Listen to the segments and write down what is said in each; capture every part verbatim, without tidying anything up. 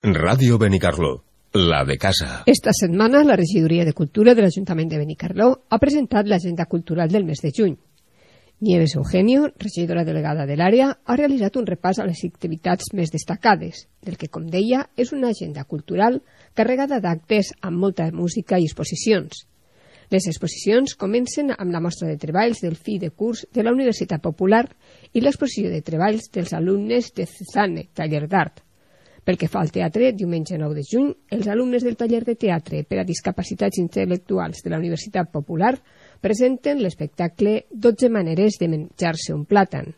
Ràdio Benicarló, la de casa. Esta setmana la Regidoria de Cultura de l'Ajuntament de Benicarló ha presentat l'agenda cultural del mes de juny. Nieves Eugenio, regidora delegada de l'àrea, ha realitzat un repàs a les activitats més destacades, del que, com deia, és una agenda cultural carregada d'actes amb molta música i exposicions. Les exposicions comencen amb la mostra de treballs del fi de curs de la Universitat Popular i l'exposició de treballs dels alumnes de Cezanne, taller d'art. Pel que fa al teatre, diumenge nou de juny, els alumnes del taller de teatre per a discapacitats intel·lectuals de la Universitat Popular presenten l'espectacle dotze maneres de menjar-se un plàtan.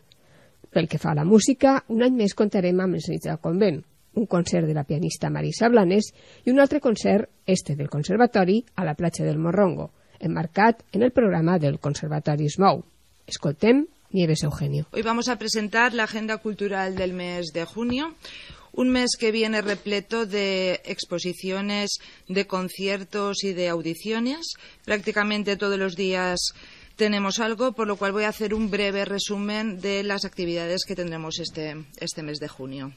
Pel que fa a la música, un any més comptarem amb els nits del convent, un concert de la pianista Marisa Blanes i un altre concert, este del Conservatori, a la platja del Morrongo, enmarcat en el programa del Conservatori es Mou. Escoltem Nieves Eugenio. Hoy vamos a presentar la agenda cultural del mes de junio. Un mes que viene repleto de exposiciones, de conciertos y de audiciones. Prácticamente todos los días tenemos algo, por lo cual voy a hacer un breve resumen de las actividades que tendremos este, este mes de junio.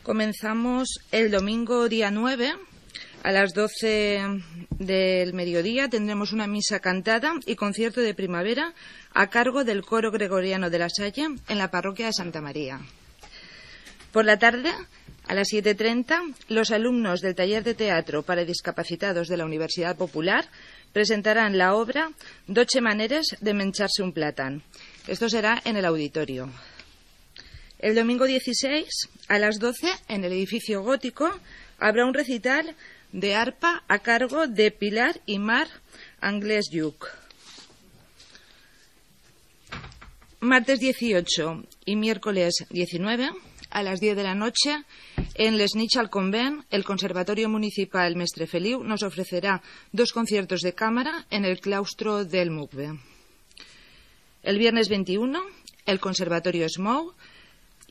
Comenzamos el domingo día nueve. A las doce del mediodía tendremos una misa cantada y concierto de primavera a cargo del Coro Gregoriano de la Salle en la parroquia de Santa María. Por la tarde, a las siete y treinta, los alumnos del taller de teatro para discapacitados de la Universidad Popular presentarán la obra Dotze maneres de mencharse un plátano. Esto será en el auditorio. El domingo dieciséis, a las doce, en el edificio gótico, habrá un recital de arpa a cargo de Pilar y Mar Anglès Lluc. Martes dieciocho y miércoles diecinueve, a las diez de la noche, en Les Nits al Convent, el Conservatorio Municipal Mestre Feliu nos ofrecerá dos conciertos de cámara en el claustro del Mucbe. El viernes veintiuno, el Conservatorio es Mou,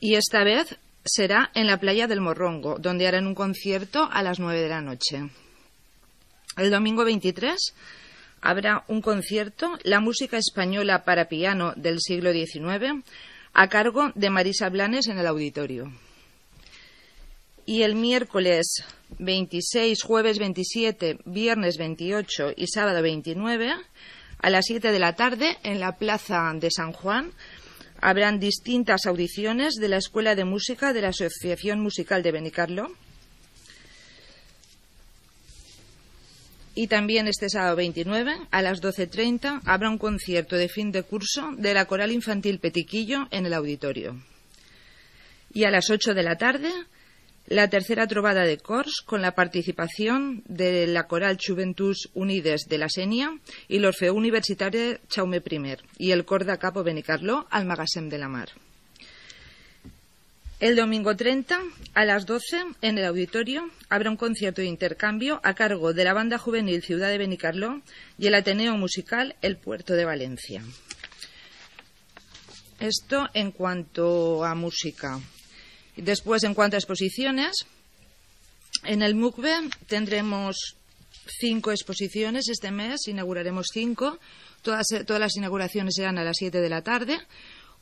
y esta vez será en la playa del Morrongo, donde harán un concierto a las nueve de la noche. El domingo veintitrés habrá un concierto, la música española para piano del siglo diecinueve, a cargo de Marisa Blanes en el auditorio. Y el miércoles veintiséis, jueves veintisiete, viernes veintiocho y sábado veintinueve, a las siete de la tarde, en la plaza de San Juan, habrán distintas audiciones de la Escuela de Música de la Asociación Musical de Benicarló. Y también este sábado veintinueve, a las doce y treinta, habrá un concierto de fin de curso de la Coral Infantil Petiquillo en el auditorio. Y a las ocho de la tarde, la tercera trobada de cors con la participación de la Coral Juventus Unides de la Sénia y l'Orfeó Universitari Jaume I y el Cor de Capo Benicarló al Magassem de la Mar. El domingo treinta, a las doce, en el auditorio, habrá un concierto de intercambio a cargo de la Banda Juvenil Ciudad de Benicarló y el Ateneo Musical El Puerto de Valencia. Esto en cuanto a música. Después, en cuanto a exposiciones, en el Mucbe tendremos cinco exposiciones este mes, inauguraremos cinco. Todas, todas las inauguraciones serán a las siete de la tarde.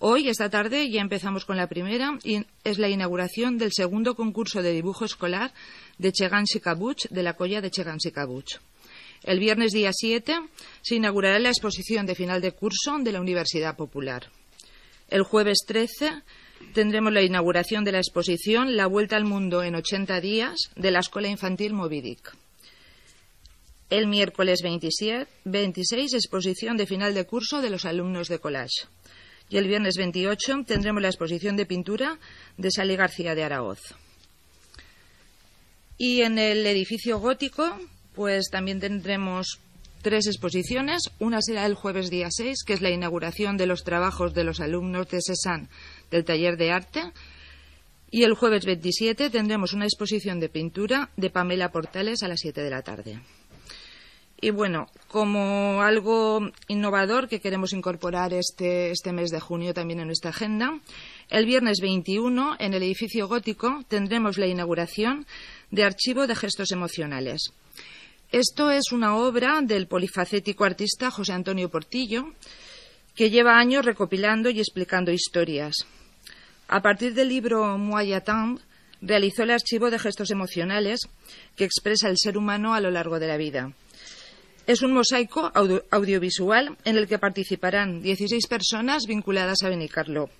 Hoy, esta tarde, ya empezamos con la primera, y es la inauguración del segundo concurso de dibujo escolar de Chegans i Cabuts, de la Colla de Chegans i Cabuts. El viernes día siete se inaugurará la exposición de final de curso de la Universidad Popular. El jueves trece tendremos la inauguración de la exposición La Vuelta al Mundo en ochenta días de la Escuela Infantil Moby Dick. El miércoles veintisiete, veintiséis, exposición de final de curso de los alumnos de collage. Y el viernes veintiocho tendremos la exposición de pintura de Sally García de Araoz. Y en el edificio gótico, pues también tendremos tres exposiciones. Una será el jueves día seis, que es la inauguración de los trabajos de los alumnos de Cézanne del taller de arte. Y el jueves veintisiete tendremos una exposición de pintura de Pamela Portales a las siete de la tarde. Y bueno, como algo innovador que queremos incorporar este, este mes de junio también en nuestra agenda, el viernes veintiuno, en el edificio gótico, tendremos la inauguración de Archivo de Gestos Emocionales. Esto es una obra del polifacético artista José Antonio Portillo, que lleva años recopilando y explicando historias. A partir del libro Moi Attendre, realizó el archivo de gestos emocionales que expresa el ser humano a lo largo de la vida. Es un mosaico audio audiovisual en el que participarán dieciséis personas vinculadas a Benicarló,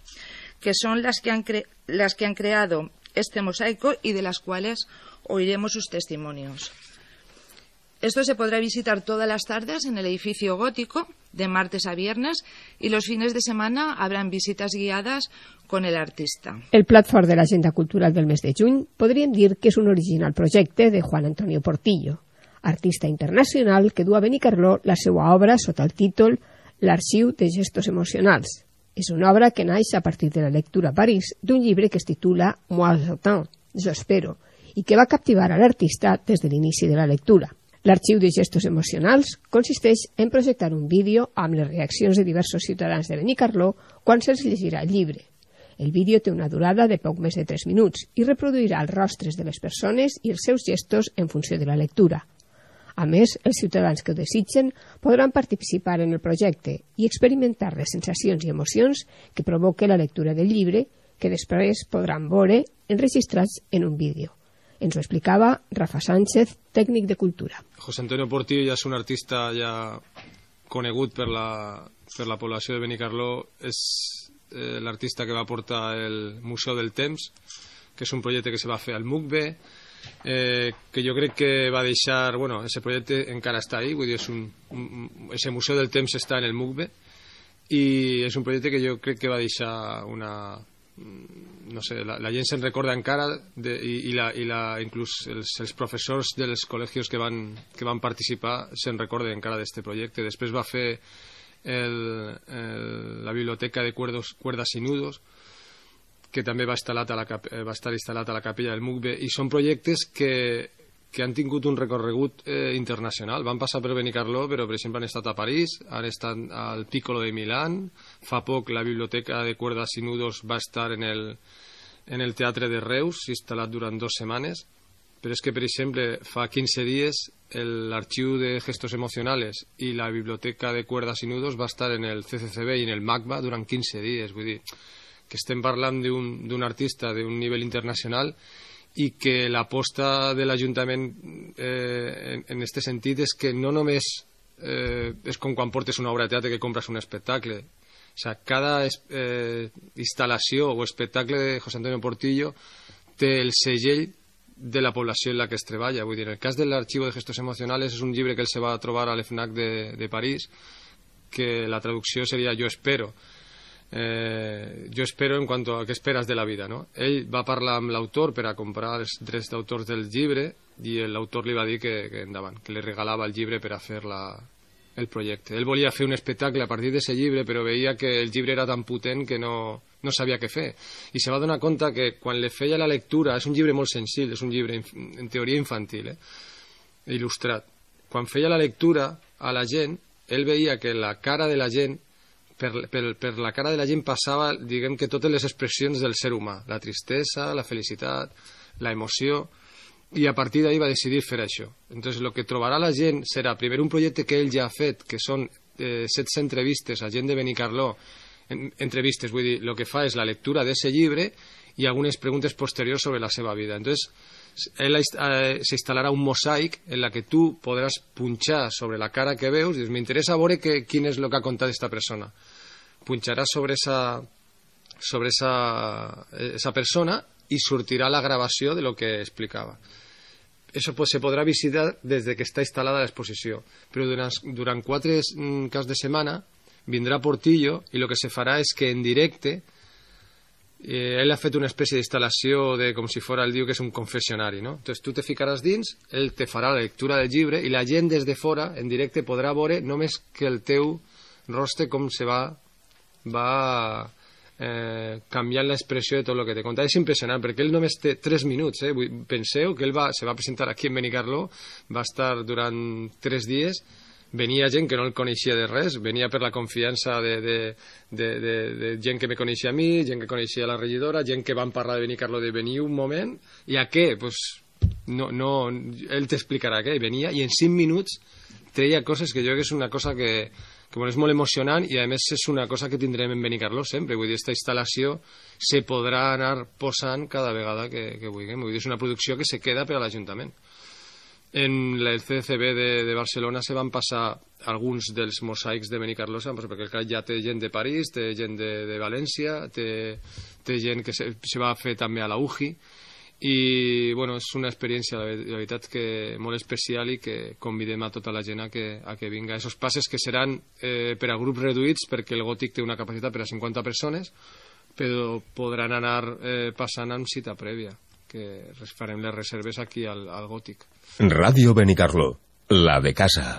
que son las que, han cre las que han creado este mosaico y de las cuales oiremos sus testimonios. Esto se podrá visitar todas las tardes en el edificio gótico, de martes a viernes, y los fines de semana habrán visitas guiadas con el artista. El plat fort de l'agenda cultural del mes de juny podríem dir que és un original projecte de Juan Antonio Portillo, artista internacional que du a Benicarló la seva obra sota el títol L'Arxiu de Gestos Emocionals. És una obra que naix a partir de la lectura a París d'un llibre que es titula Moi j'attends, jo espero, i que va captivar a l'artista des de l'inici de la lectura. L'Arxiu de Gestos Emocionals consisteix en projectar un vídeo amb les reaccions de diversos ciutadans de Benicarló quan se'ls llegirà el llibre. El vídeo té una durada de poc més de tres minuts i reproduirà els rostres de les persones i els seus gestos en funció de la lectura. A més, els ciutadans que ho desitgen podran participar en el projecte i experimentar les sensacions i emocions que provoca la lectura del llibre, que després podran veure enregistrats en un vídeo. Ens ho explicava Rafa Sánchez, tècnic de cultura. José Antonio Portillo ja és un artista ja conegut per la, per la població de Benicarló. És eh, l'artista que va portar el Museu del Temps, que és un projecte que se va fer al M U C B, Eh, que jo crec que va deixar, bueno, ese projecte encara està ahí, vull dir, és un, un, ese Museu del Temps està en el M U C B i és un projecte que jo crec que va deixar una, no sé, la, la gent se'n recorda encara de, i, i, la, i la, inclús els, els professors dels col·legis que van, que van participar se'n recorden encara d'aquest projecte. Després va fer el, el, la biblioteca de cuerdos, cuerdas i nudos, que també va, a la, va estar instal·lat a la capella del M U C B, i són projectes que, que han tingut un recorregut eh, internacional. Van passar per Benicarló, però per exemple han estat a París, han estat al Piccolo de Milán, fa poc la biblioteca de cuerdas i nudos va estar en el, en el Teatre de Reus, instal·lat durant dues setmanes, però és que, per exemple, fa quinze dies l'arxiu de gestos emocionales i la biblioteca de cuerdas i nudos va estar en el C C C B i en el MACBA durant quinze dies, vull dir que estem parlant d'un artista d'un nivell internacional i que l'aposta de l'Ajuntament eh, en aquest sentit és que no només eh, és com quan portes una obra de teatre que compres un espectacle. O sea, cada eh, instal·lació o espectacle de José Antonio Portillo té el segell de la població en la que es treballa. Vull dir, en el cas de l'Arxiu de Gestos Emocionales és un llibre que ell se va trobar a l'EFNAC de, de París, que la traducció seria Jo espero. Eh, jo espero en quant a què esperes de la vida, no? Ell va parlar amb l'autor per a comprar els drets d'autors del llibre i l'autor li va dir que, que endavant, que li regalava el llibre per a fer la, el projecte. Ell volia fer un espectacle a partir d'aquest llibre, però veia que el llibre era tan potent que no, no sabia què fer. I se va donar compte que quan li feia la lectura, és un llibre molt senzill, és un llibre en teoria infantil, eh? il·lustrat. Quan feia la lectura a la gent, ell veia que la cara de la gent Per, per, per la cara de la gent passava, diguem que totes les expressions del ser humà, la tristesa, la felicitat, la emoció, i a partir d'ahir va decidir fer això. Entonces, el que trobarà la gent serà, primer, un projecte que ell ja ha fet, que són eh, setze entrevistes a gent de Benicarló, en, entrevistes, vull dir, el que fa és la lectura d'aquest llibre i algunes preguntes posteriors sobre la seva vida. Entonces, ell eh, s'instal·larà un mosaic en la que tu podràs punxar sobre la cara que veus i dius, m'interessa veure que, quin és el que ha contat aquesta persona. Punxaràs sobre esa, sobre esa, esa persona i sortirà la gravació de lo que explicava. Eso pues, se podrà visitar des de que està instal·lada l'exposició, però durant, durant quatre caps de setmana vindrà Portillo i el que se farà és que en directe Eh, ell ha fet una espècie d'instal·lació de com si fos, el diu que és un confessionari, no? Entonces tu te ficaràs dins, ell te farà la lectura del llibre i la gent des de fora, en directe, podrà veure només que el teu rostre com se va, va eh, canviant l'expressió de tot el que te conta. És impressionant, perquè ell només té tres minuts, eh? Penseu que ell va, se va presentar aquí en Benicarló, va estar durant tres dies, venia gent que no el coneixia de res, venia per la confiança de, de, de, de, de gent que me coneixia a mi, gent que coneixia la regidora, gent que van parlar de Benicarló de venir un moment, i a què? Pues, no, no, ell t'explicarà què, venia i en cinc minuts treia coses que jo crec que és una cosa que, que bueno, és molt emocionant i a més és una cosa que tindrem en Benicarló sempre, vull dir, aquesta instal·lació se podrà anar posant cada vegada que, que vulguem, vull dir, és una producció que se queda per a l'Ajuntament. En el C C B de, de Barcelona se van passar alguns dels mosaics de Benicarló, perquè clar, ja té gent de París, té gent de, de València, té, té gent que se, se va fer també a la U G I, i bueno, és una experiència, la, la veritat, que molt especial i que convidem a tota la gent a que, a que vinga. Esos passes que seran eh, per a grups reduïts, perquè el Gòtic té una capacitat per a cinquanta persones, però podran anar eh, passant amb cita prèvia, que farem les reserves aquí al, al Gòtic. Ràdio Benicarló, la de casa.